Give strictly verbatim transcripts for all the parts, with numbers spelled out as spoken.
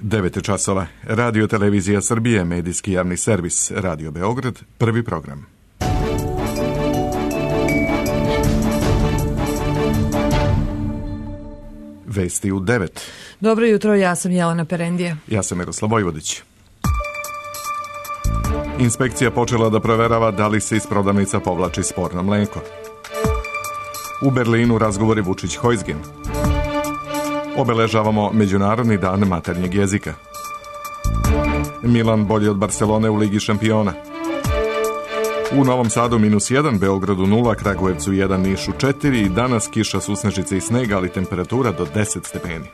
devet časova. Radio Televizija Srbije, medijski javni servis, Radio Beograd, prvi program. Vesti u devet. Dobro jutro, ja sam Jelena Perendije. Ja sam Miroslav Vojvodić. Inspekcija počela da proverava da li se iz prodavnica povlači sporno mleko. U Berlinu razgovori Vučić-Hojsgen. Obeležavamo Međunarodni dan maternjeg jezika. Milan bolji od Barcelone u Ligi šampiona. U Novom Sadu minus jedan, Beogradu nula, Kragujevcu jedan, Nišu četiri i danas kiša, susnežice i sneg, ali temperatura do deset stepeni.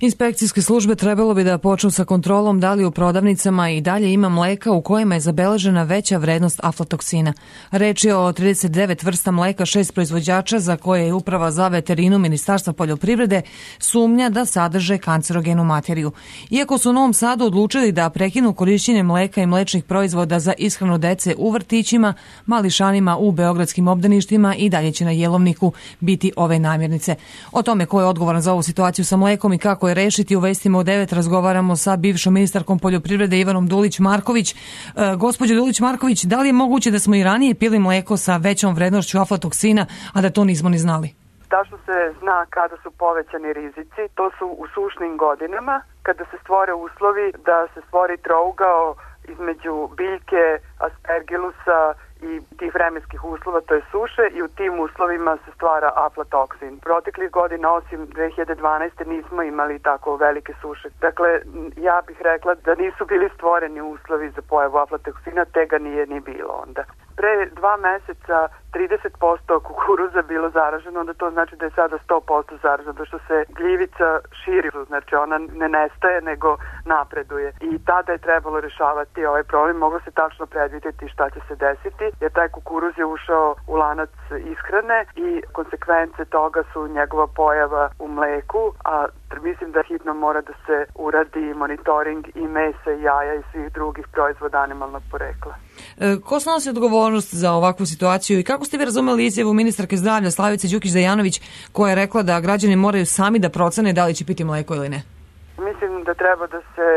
Inspekcijske službe trebalo bi da počnu sa kontrolom da li u prodavnicama i dalje ima mleka u kojima je zabeležena veća vrednost aflatoksina. Reč je o trideset devet vrsta mleka, šest proizvođača za koje je Uprava za veterinu Ministarstva poljoprivrede sumnja da sadrže kancerogenu materiju. Iako su u Novom Sadu odlučili da prekinu korišćenje mleka i mlečnih proizvoda za ishranu dece u vrtićima, mališanima u beogradskim obdaništima i dalje će na jelovniku biti ove namirnice. O tome ko je odgovoran za ovu situaciju sa mlekom i kako je rešiti, u vestima u devet razgovaramo sa bivšom ministarkom poljoprivrede Ivanom Dulić-Marković. E, gospođo Dulić-Marković, da li je moguće da smo i ranije pili mleko sa većom vrednošću aflatoksina, a da to nismo ni znali? Tačno se zna kada su povećani rizici. To su u sušnim godinama, kada se stvore uslovi da se stvori trougao između biljke, aspergilusa i tih vremenskih uslova, to je suše, i u tim uslovima se stvara aflatoksin. Proteklih godina, osim dve hiljade dvanaeste. nismo imali tako velike suše. Dakle, ja bih rekla da nisu bili stvoreni uslovi za pojavu aflatoksina, te ga nije ni bilo onda. Pre dva meseca trideset posto kukuruza bilo zaraženo, onda to znači da je sada sto posto zaraženo, zato što se gljivica širi, znači ona ne nestaje nego napreduje. I tada je trebalo rešavati ovaj problem, moglo se tačno predvidjeti šta će se desiti, jer taj kukuruz je ušao u lanac ishrane i konsekvence toga su njegova pojava u mleku, a mislim da hitno mora da se uradi monitoring i mesa, i jaja i svih drugih proizvoda animalnog porekla. E, ko snosi odgovornost za ovakvu situaciju i kako ste vi razumeli izjavu ministarke zdravlja Slavice Đukić-Dejanović koja je rekla da građani moraju sami da procene da li će piti mleko ili ne? Mislim da treba da se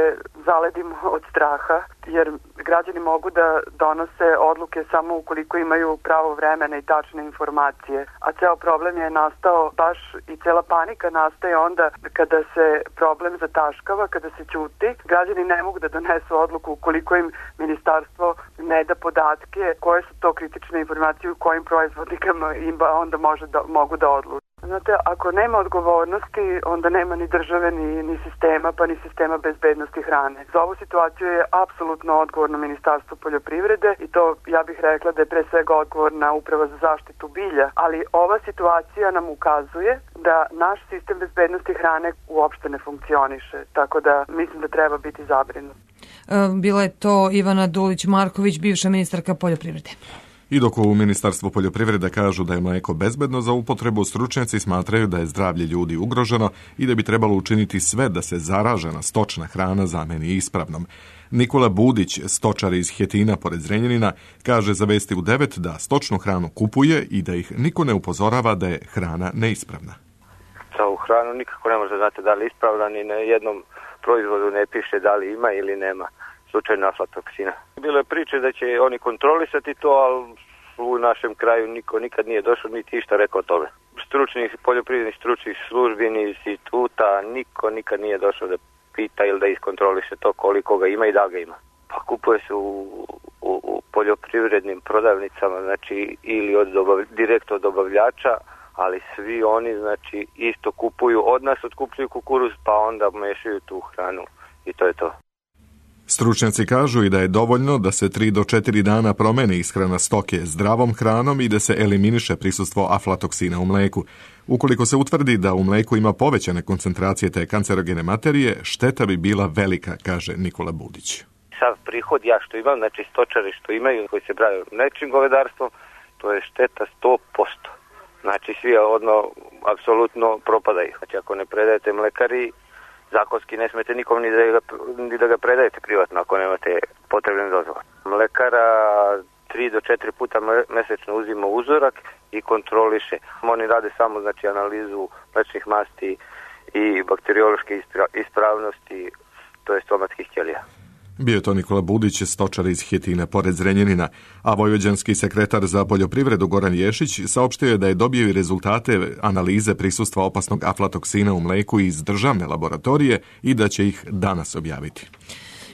zaledimo od straha, jer građani mogu da donose odluke samo ukoliko imaju pravo vremena i tačne informacije. A ceo problem je nastao baš i cela panika nastaje onda kada se problem zataškava, kada se ćuti. Građani ne mogu da donesu odluku ukoliko im ministarstvo ne da podatke koje su to kritične informacije u kojim proizvodnikama im onda može da, mogu da odluče. Znate, ako nema odgovornosti, onda nema ni države, ni, ni sistema, pa ni sistema bezbednosti hrane. Za ovu situaciju je apsolutno odgovorno Ministarstvo poljoprivrede i to ja bih rekla da je pre svega odgovorna Uprava za zaštitu bilja, ali ova situacija nam ukazuje da naš sistem bezbednosti hrane uopšte ne funkcioniše, tako da mislim da treba biti zabrinut. Bila je to Ivana Dulić-Marković, bivša ministarka poljoprivrede. I dok u Ministarstvu poljoprivrede kažu da je mleko bezbedno za upotrebu, stručnjaci smatraju da je zdravlje ljudi ugroženo i da bi trebalo učiniti sve da se zaražena stočna hrana zameni ispravnom. Nikola Budić, stočar iz Hetina pored Zrenjanina, kaže za Vesti u devet da stočnu hranu kupuje i da ih niko ne upozorava da je hrana neispravna. Za ovu hranu nikako ne može znati da li je ispravna, ni na jednom proizvodu ne piše da li ima ili nema slučajno aflatoksina. Bilo je priče da će oni kontrolisati to, ali u našem kraju niko nikad nije došao niti išta rekao o tome. Stručnih, poljoprivrednih stručnih službi, ni instituta, niko nikad nije došao da pita ili da iskontroliše to koliko ga ima i da ga ima. Pa kupuje se u, u, u poljoprivrednim prodavnicama, znači ili od dobav, direkt od dobavljača, ali svi oni znači isto kupuju od nas, otkupljuju kukuruz, pa onda mešaju tu hranu i to je to. Stručnjaci kažu i da je dovoljno da se tri do četiri dana promeni ishrana stoke zdravom hranom i da se eliminiše prisustvo aflatoksina u mleku. Ukoliko se utvrdi da u mleku ima povećane koncentracije te kancerogene materije, šteta bi bila velika, kaže Nikola Budić. Sav prihod ja što imam, znači stočari što imaju, koji se braju mlečnim govedarstvom, to je šteta sto posto. Znači svi odno apsolutno propadaju. Znači ako ne predajete mlekari, zakonski ne smete nikom ni da ga, ni da ga predajete privatno ako nemate potrebne dozvole. Mlekara tri do četiri puta mesečno uzima uzorak i kontroliše. Oni rade samo znači analizu mlečnih masti i bakteriološke ispravnosti, to je stomatskih ćelija. Bio je to Nikola Budić, stočar iz Hjetine pored Zrenjanina, a vojvođanski sekretar za poljoprivredu Goran Ješić saopštio je da je dobio i rezultate analize prisustva opasnog aflatoksina u mleku iz državne laboratorije i da će ih danas objaviti.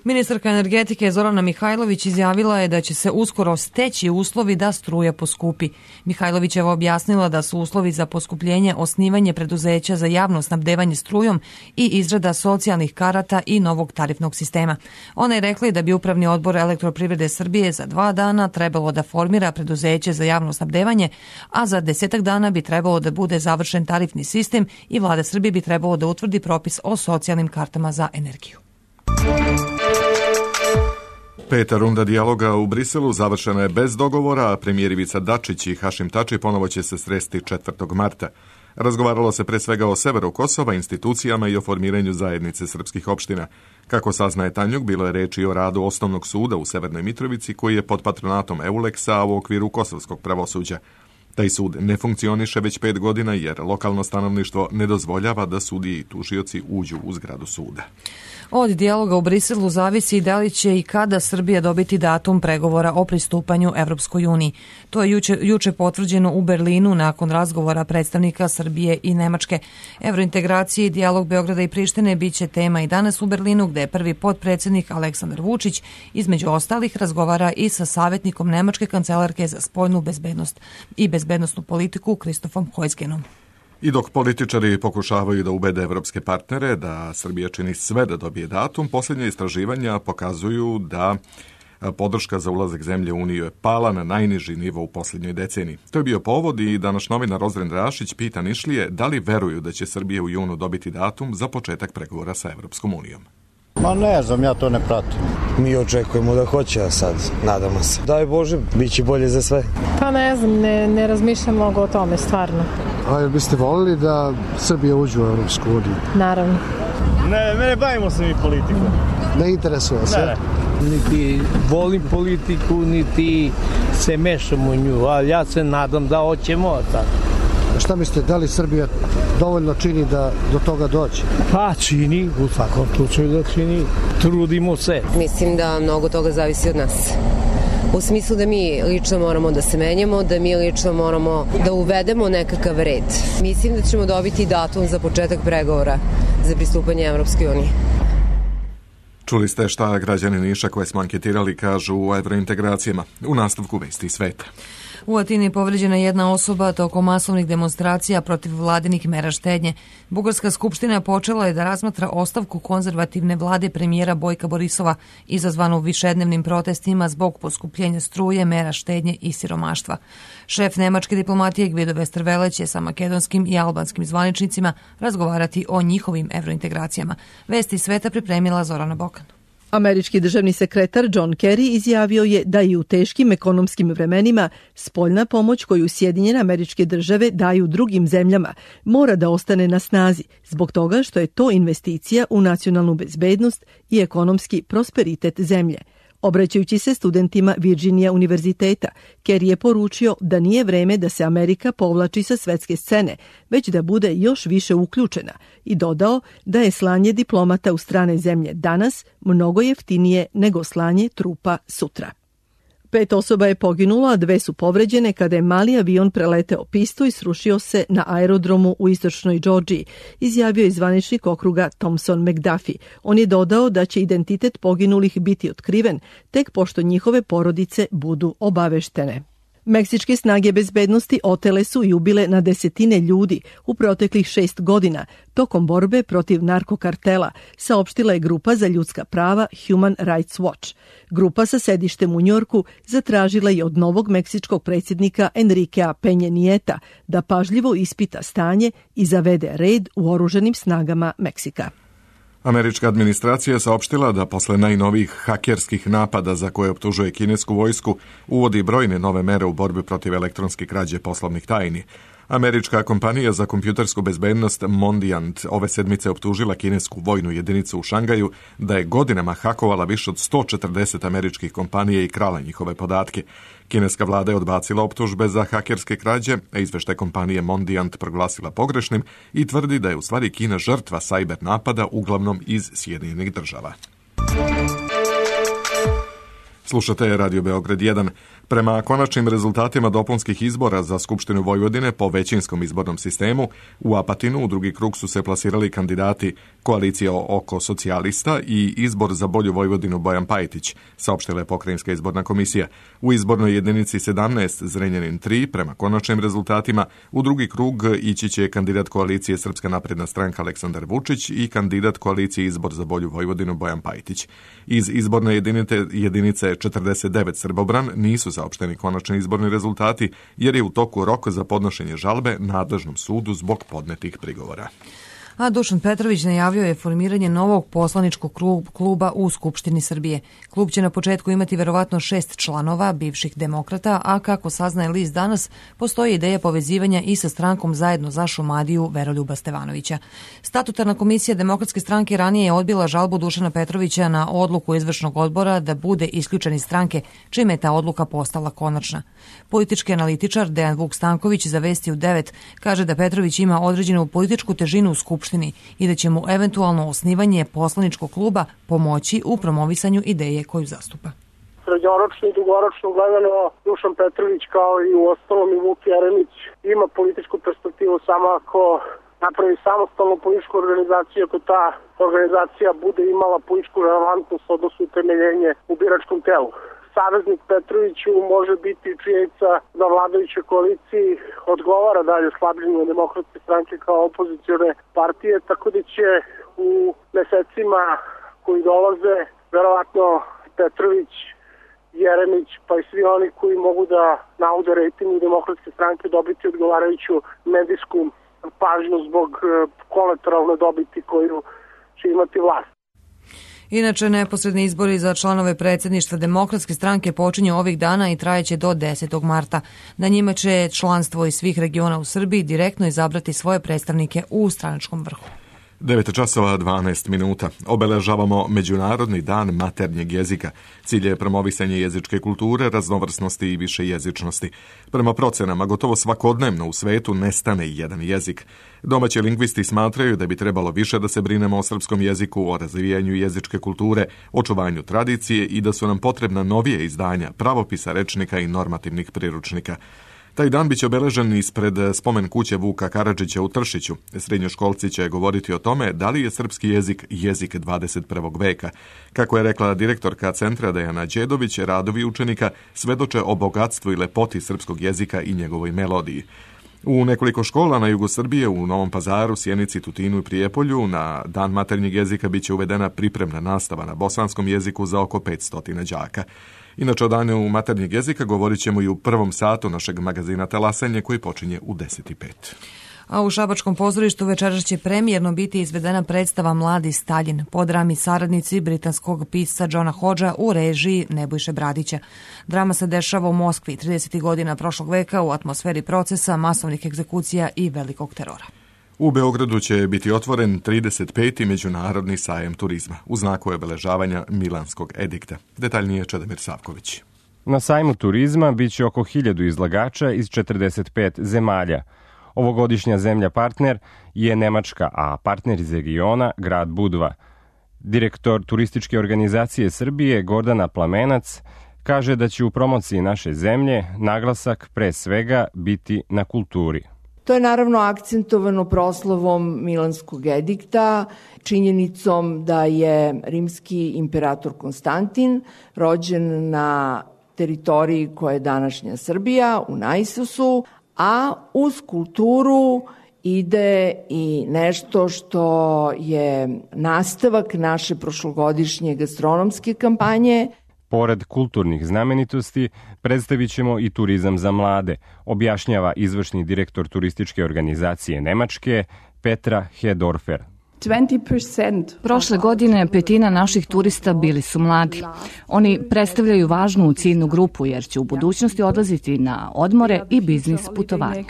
Ministarka energetike Zorana Mihajlović izjavila je da će se uskoro steći uslovi da struja poskupi. Mihajlovićeva objasnila da su uslovi za poskupljenje osnivanje preduzeća za javno snabdevanje strujom i izrada socijalnih karata i novog tarifnog sistema. Ona je rekla da bi Upravni odbor Elektroprivrede Srbije za dva dana trebalo da formira preduzeće za javno snabdevanje, a za desetak dana bi trebalo da bude završen tarifni sistem i Vlada Srbije bi trebalo da utvrdi propis o socijalnim kartama za energiju. Peta runda dijaloga u Briselu završena je bez dogovora, a premijer Ivica Dačić i Hašim Tači ponovo će se sresti četvrtog marta. Razgovaralo se pre svega o severu Kosova, institucijama i o formiranju zajednice srpskih opština. Kako saznaje Tanjug, bilo je reči o radu osnovnog suda u Severnoj Mitrovici, koji je pod patronatom Euleksa u okviru kosovskog pravosuđa. Taj sud ne funkcioniše već pet godina jer lokalno stanovništvo ne dozvoljava da sudije i tužioci uđu u zgradu suda. Od dijaloga u Briselu zavisi da li će i kada Srbija dobiti datum pregovora o pristupanju Evropskoj uniji. To je juče, juče potvrđeno u Berlinu nakon razgovora predstavnika Srbije i Nemačke. Evrointegracije i dijalog Beograda i Prištine biće tema i danas u Berlinu, gde je prvi potpredsjednik Aleksandar Vučić između ostalih razgovara i sa savjetnikom Nemačke kancelarke za spoljnu bezbednost i bezbednosnu politiku Kristofom Heusgenom. I dok političari pokušavaju da ubede evropske partnere da Srbija čini sve da dobije datum, posljednje istraživanja pokazuju da podrška za ulazak zemlje u Uniju je pala na najniži nivo u posljednjoj deceniji. To je bio povod i da naš novinar Ozren Rašić pita Nišlije da li veruju da će Srbija u junu dobiti datum za početak pregovora sa Evropskom unijom. Ma ne znam, ja to ne pratim. Mi očekujemo da hoće, a sad nadamo se. Daj Bože, bit će bolje za sve. Pa ne znam, ne, ne razmišljam mnogo o tome, stvarno. A jel biste volili da Srbija uđe u Evropsku uniju? Naravno. Ne, ne bavimo se mi politikom. Ne interesuje se? Ne, ne. Niti volim politiku, niti se mešam u nju, ali ja se nadam da hoćemo tako. Šta mislite, da li Srbija dovoljno čini da do toga dođe? Pa čini, u svakom slučaju da čini. Trudimo se. Mislim da mnogo toga zavisi od nas. U smislu da mi lično moramo da se menjamo, da mi lično moramo da uvedemo nekakav red. Mislim da ćemo dobiti datum za početak pregovora za pristupanje Evropskoj uniji. Čuli ste šta građani Niša koje smo anketirali kažu o evrointegracijama. U nastavku vesti sveta. U Atini je povređena jedna osoba tokom masovnih demonstracija protiv vladinih mera štednje. Bugarska skupština počela je da razmatra ostavku konzervativne vlade premijera Bojka Borisova, izazvanu višednevnim protestima zbog poskupljenja struje, mera štednje i siromaštva. Šef nemačke diplomatije Gvido Westerwelle će sa makedonskim i albanskim zvaničnicima razgovarati o njihovim evrointegracijama. Vesti sveta pripremila Zorana Bokan. Američki državni sekretar John Kerry izjavio je da i u teškim ekonomskim vremenima spoljna pomoć koju Sjedinjene Američke Države daju drugim zemljama mora da ostane na snazi zbog toga što je to investicija u nacionalnu bezbednost i ekonomski prosperitet zemlje. Obraćajući se studentima Virginia univerziteta, Kerry je poručio da nije vreme da se Amerika povlači sa svetske scene, već da bude još više uključena i dodao da je slanje diplomata u strane zemlje danas mnogo jeftinije nego slanje trupa sutra. Pet osoba je poginulo, a dve su povređene kada je mali avion preleteo pistu i srušio se na aerodromu u istočnoj Džordžiji, izjavio je zvaničnik okruga Thompson McDuffie. On je dodao da će identitet poginulih biti otkriven tek pošto njihove porodice budu obaveštene. Meksičke snage bezbednosti otele su i ubile na desetine ljudi u proteklih šest godina tokom borbe protiv narkokartela, saopštila je grupa za ljudska prava Human Rights Watch. Grupa sa sedištem u Njorku zatražila je od novog meksičkog predsjednika Enriquea Peña Nieta da pažljivo ispita stanje i zavede red u oružanim snagama Meksika. Američka administracija je saopštila da posle najnovijih hakerskih napada za koje optužuje kinesku vojsku uvodi brojne nove mere u borbi protiv elektronske krađe poslovnih tajni. Američka kompanija za kompjutersku bezbednost Mondiant ove sedmice optužila kinesku vojnu jedinicu u Šangaju da je godinama hakovala više od sto četrdeset američkih kompanija i krala njihove podatke. Kineska vlada je odbacila optužbe za hakerske krađe, a izveštaj kompanije Mondiant proglasila pogrešnim i tvrdi da je u stvari Kina žrtva sajber napada uglavnom iz Sjedinjenih država. Slušate Radio Beograd jedan. Prema konačnim rezultatima dopunskih izbora za Skupštinu Vojvodine po većinskom izbornom sistemu, u Apatinu u drugi krug su se plasirali kandidati Koalicija oko socijalista i Izbor za bolju Vojvodinu Bojan Pajtić, saopštila je Pokrajinska izborna komisija. U izbornoj jedinici sedamnaest Zrenjanin tri, prema konačnim rezultatima, u drugi krug ići će kandidat Koalicije Srpska napredna stranka Aleksandar Vučić i kandidat Koalicije Izbor za bolju Vojvodinu Bojan Pajtić. Iz izborne jedinice, jedinice četrdeset devet Srbobran nisu saopšteni konačni izborni rezultati, jer je u toku rok za podnošenje žalbe nadležnom sudu zbog podnetih prigovora. A Dušan Petrović najavio je formiranje novog poslaničkog kluba u Skupštini Srbije. Klub će na početku imati verovatno šest članova, bivših demokrata, a kako saznaje list Danas, postoji ideja povezivanja i sa strankom Zajedno za Šumadiju Veroljuba Stevanovića. Statutarna komisija Demokratske stranke ranije je odbila žalbu Dušana Petrovića na odluku izvršnog odbora da bude isključen iz stranke, čime je ta odluka postala konačna. Politički analitičar Dejan Vuk Stanković za Vesti u devet kaže da Petrović ima određenu političku težinu u Skupštini i da će mu eventualno osnivanje poslaničkog kluba pomoći u promovisanju ideje koju zastupa. Srednjoročno i dugoročno gledano, Dušan Petrović kao i u ostalom i Vuk Jeremić ima političku perspektivu samo ako napravi samostalnu političku organizaciju, ako ta organizacija bude imala političku relevantnost, odnosno utemeljenje u biračkom telu. Saveznik Petroviću može biti činjenica da vladajućoj koaliciji odgovara dalje slabljenju Demokratske stranke kao opozicione partije, tako da će u mesecima koji dolaze verovatno Petrović, Jeremić pa i svi oni koji mogu da naude rejtingu Demokratske stranke dobiti odgovarajuću medijsku pažnju zbog kolateralne dobiti koju će imati vlast. Inače, neposredni izbori za članove predsjedništva Demokratske stranke počinju ovih dana i trajeće do desetog marta. Na njima će članstvo iz svih regiona u Srbiji direktno izabrati svoje predstavnike u stranačkom vrhu. devet časova dvanaest minuta. Obeležavamo Međunarodni dan maternjeg jezika. Cilj je promovisanje jezičke kulture, raznovrsnosti i višejezičnosti. Prema procenama, gotovo svakodnevno u svetu nestane jedan jezik. Domaći lingvisti smatraju da bi trebalo više da se brinemo o srpskom jeziku, o razvijanju jezičke kulture, očuvanju tradicije i da su nam potrebna novije izdanja, pravopisa, rečnika i normativnih priručnika. Taj dan biće obeležen ispred spomen kuće Vuka Karadžića u Tršiću. Srednjoškolci će govoriti o tome da li je srpski jezik jezik dvadeset prvog veka. Kako je rekla direktorka centra Dejana Đedović, radovi učenika svedoče o bogatstvu i lepoti srpskog jezika i njegovoj melodiji. U nekoliko škola na jugu Srbije, u Novom Pazaru, Sjenici, Tutinu i Prijepolju, na dan maternjeg jezika biće uvedena pripremna nastava na bosanskom jeziku za oko petsto đaka. Inače, o danu maternjeg jezika govorit ćemo i u prvom satu našeg magazina Talasanje koji počinje u deset i pet. A u Šabačkom pozorištu večeras će premijerno biti izvedena predstava Mladi Staljin po drami Saradnici britanskog pisca Johna Hodgea u režiji Nebojše Bradića. Drama se dešava u Moskvi tridesetih godina prošlog veka u atmosferi procesa, masovnih egzekucija i velikog terora. U Beogradu će biti otvoren trideset peti Međunarodni sajem turizma u znaku obeležavanja Milanskog edikta. Detaljnije Čedomir Savković. Na sajmu turizma biće oko hiljadu izlagača iz četrdeset pet zemalja. Ovogodišnja zemlja partner je Nemačka, a partner iz regiona grad Budva. Direktor turističke organizacije Srbije Gordana Plamenac kaže da će u promociji naše zemlje naglasak pre svega biti na kulturi. To je naravno akcentovano proslavom Milanskog edikta, činjenicom da je rimski imperator Konstantin rođen na teritoriji koja je današnja Srbija, u Naisusu, a uz kulturu ide i nešto što je nastavak naše prošlogodišnje gastronomske kampanje. Pored kulturnih znamenitosti, predstavit ćemo i turizam za mlade, objašnjava izvršni direktor turističke organizacije Nemačke, Petra Hedorfer. Prošle godine petina naših turista bili su mladi. Oni predstavljaju važnu ciljnu grupu jer će u budućnosti odlaziti na odmore i biznis putovanje.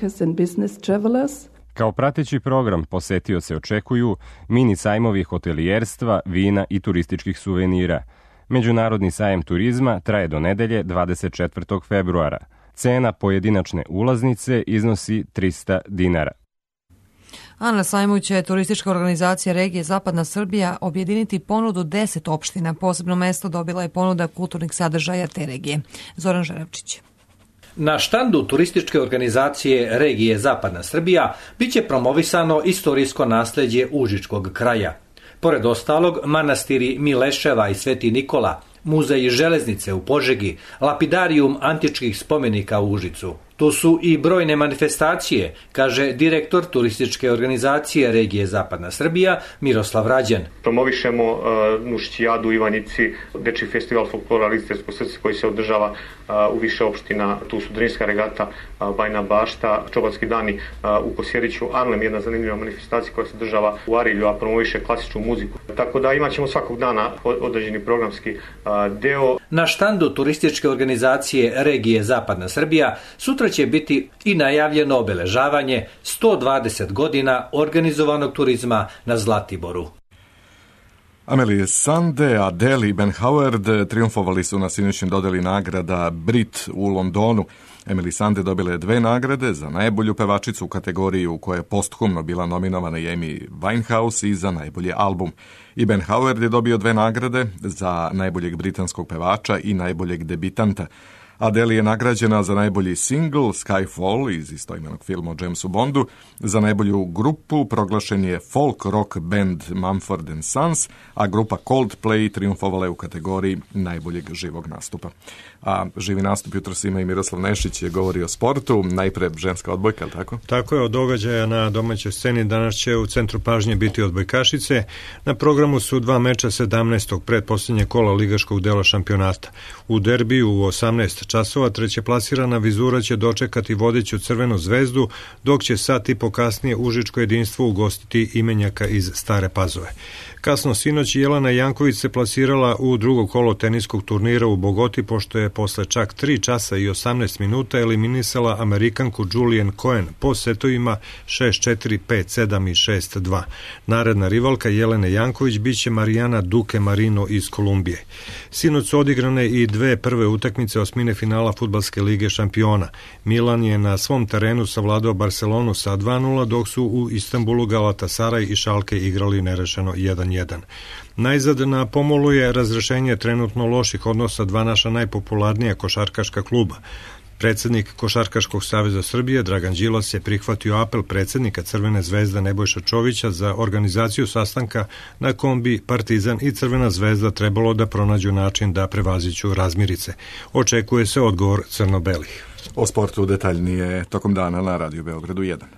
Kao prateći program posetioce očekuju mini sajmovi hotelijerstva, vina i turističkih suvenira. Međunarodni sajem turizma traje do nedelje dvadeset četvrtog februara. Cena pojedinačne ulaznice iznosi trista dinara. A na sajmu će turistička organizacija regije Zapadna Srbija objediniti ponudu deset opština. Posebno mesto dobila je ponuda kulturnih sadržaja te regije. Zoran Žaravčić. Na štandu turističke organizacije regije Zapadna Srbija biće promovisano istorijsko nasleđe Užičkog kraja. Pored ostalog, manastiri Mileševa i Sveti Nikola, muzej železnice u Požegi, lapidarijum antičkih spomenika u Užicu. Tu su i brojne manifestacije, kaže direktor turističke organizacije regije Zapadna Srbija Miroslav Rađan. Promovišemo uh, Nušćijadu u Ivanjici, dečji festival folklora Listersko srce koji se održava uh, u više opština. Tu su Drinska regata, uh, Bajna Bašta, Čobanski dani uh, u Kosjeriću, Arlem, jedna zanimljiva manifestacija koja se održava u Arilju, a promoviše klasičnu muziku. Tako da imat ćemo svakog dana određeni programski uh, deo. Na štandu turističke organizacije regije Zapadna Srbija sutra će biti i najavljeno obeležavanje sto dvadeset godina organizovanog turizma na Zlatiboru. Amelie Sande, Adele i Ben Howard triumfovali su na sinoćnjem dodeli nagrada Brit u Londonu. Emily Sande dobila je dve nagrade za najbolju pevačicu u kategoriji u kojoj je posthumno bila nominovana i Amy Winehouse i za najbolji album. I Ben Howard je dobio dve nagrade za najboljeg britanskog pevača i najboljeg debitanta. Adele je nagrađena za najbolji single Skyfall iz istoimenog filma o Jamesu Bondu. Za najbolju grupu proglašen je folk rock band Mumford and Sons, a grupa Coldplay triumfovala je u kategoriji najboljeg živog nastupa. A živi nastup jutros ima i Miroslav Nešić, je govori o sportu, najpre ženska odbojka, ali tako? Tako je, od događaja na domaćoj sceni danas će u centru pažnje biti odbojkašice. Na programu su dva meča sedamnaestog pretposljednje kola ligaškog dela šampionata. U derbiju u osamnaest časova treće plasirana Vizura će dočekati vodeću Crvenu zvezdu, dok će sat i po kasnije Užičko jedinstvo ugostiti imenjaka iz Stare Pazove. Kasno sinoć Jelena Janković se plasirala u drugo kolo teniskog turnira u Bogoti, pošto je posle čak tri časa i osamnaest minuta eliminisala Amerikanku Julian Cohen po setovima šest četiri, pet sedam i šest dva. Naredna rivalka Jelene Janković biće Marijana Duke Marino iz Kolumbije. Sinoć su odigrane i dve prve utakmice osmine finala Fudbalske lige šampiona. Milan je na svom terenu savladao Barcelonu sa dva nula, dok su u Istanbulu Galatasaray i Schalke igrali nerešeno jedan jedan. Najzad na pomolu je razrešenje trenutno loših odnosa dva naša najpopularnija košarkaška kluba. Predsednik Košarkaškog saveza Srbije Dragan Đilas je prihvatio apel predsednika Crvene zvezde Nebojša Čovića za organizaciju sastanka na kom bi Partizan i Crvena zvezda trebalo da pronađu način da prevaziću razmirice. Očekuje se odgovor crno-belih. O sportu detaljnije tokom dana na Radio Beogradu jedan.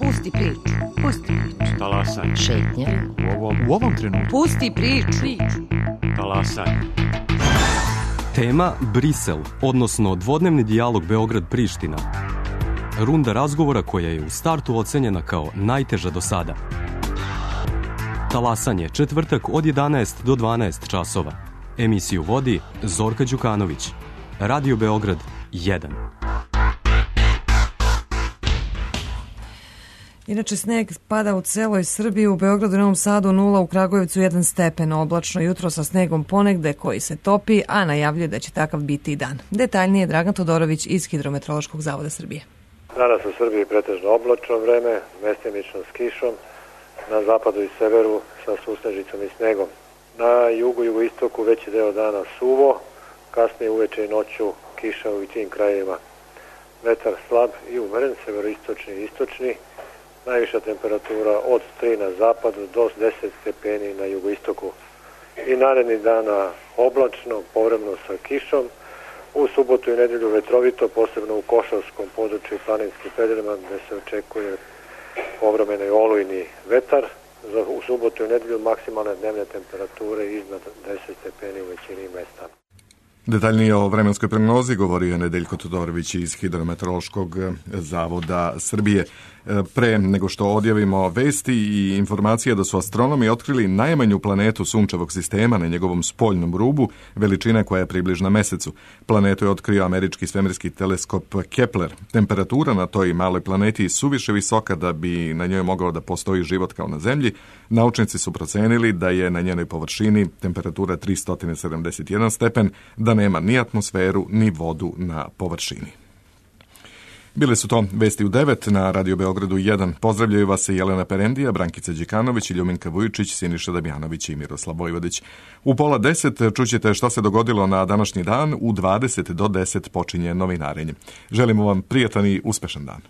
Pusti priču, pusti priču. Talasaj. Šetnja. U ovom, u ovom trenutku. Pusti priču. Talasaj. Tema Brisel, odnosno dvodnevni dijalog Beograd-Priština. Runda razgovora koja je u startu ocenjena kao najteža do sada. Talasanje, četvrtak od jedanaest do dvanaest časova. Emisiju vodi Zorka Đukanović. Radio Beograd jedan. Inače, sneg pada u celoj Srbiji, u Beogradu i Novom Sadu nula, u Kragujevcu jedan stepen, oblačno jutro sa snegom ponegde koji se topi, a najavljuje da će takav biti i dan. Detaljnije Dragan Todorović iz Hidrometeorološkog zavoda Srbije. Danas u Srbiji pretežno oblačno vreme, mestimično s kišom, na zapadu i severu sa susnežicom i snegom. Na jugu i jugoistoku veći deo dana suvo, kasnije uveče i noću kiša u tim krajevima. Vetar slab i umeren, severoistočni i istočni. Najviša temperatura od tri na zapadu do deset stepeni na jugoistoku. I naredni dana oblačno, povremeno sa kišom. U subotu i nedelju vetrovito, posebno u Košarskom području i planinskim predjelima gde se očekuje povremeno i olujni vetar. U subotu i nedelju maksimalne dnevne temperature iznad deset stepeni u većini mesta. Detaljnije o vremenskoj prognozi govorio je Nedeljko Todorović iz Hidrometeorološkog zavoda Srbije. Pre nego što odjavimo vesti i informacije da su astronomi otkrili najmanju planetu sunčevog sistema na njegovom spoljnom rubu, veličina koja je približna Mesecu. Planetu je otkrio američki svemirski teleskop Kepler. Temperatura na toj maloj planeti je suviše visoka da bi na njoj mogao da postoji život kao na Zemlji. Naučnici su procenili da je na njenoj površini temperatura tristo sedamdeset jedan stepen, da nema ni atmosferu ni vodu na površini. Bile su to vesti u devet na Radio Beogradu jedan. Pozdravljaju vas se Jelena Perendija, Brankica Đikanović, Ljuminka Vujičić, Siniša Damjanović i Miroslav Vojvodić. U pola deset čućete šta se dogodilo na današnji dan, u dvadeset do deset počinje novinarenje. Želimo vam prijatan i uspešan dan.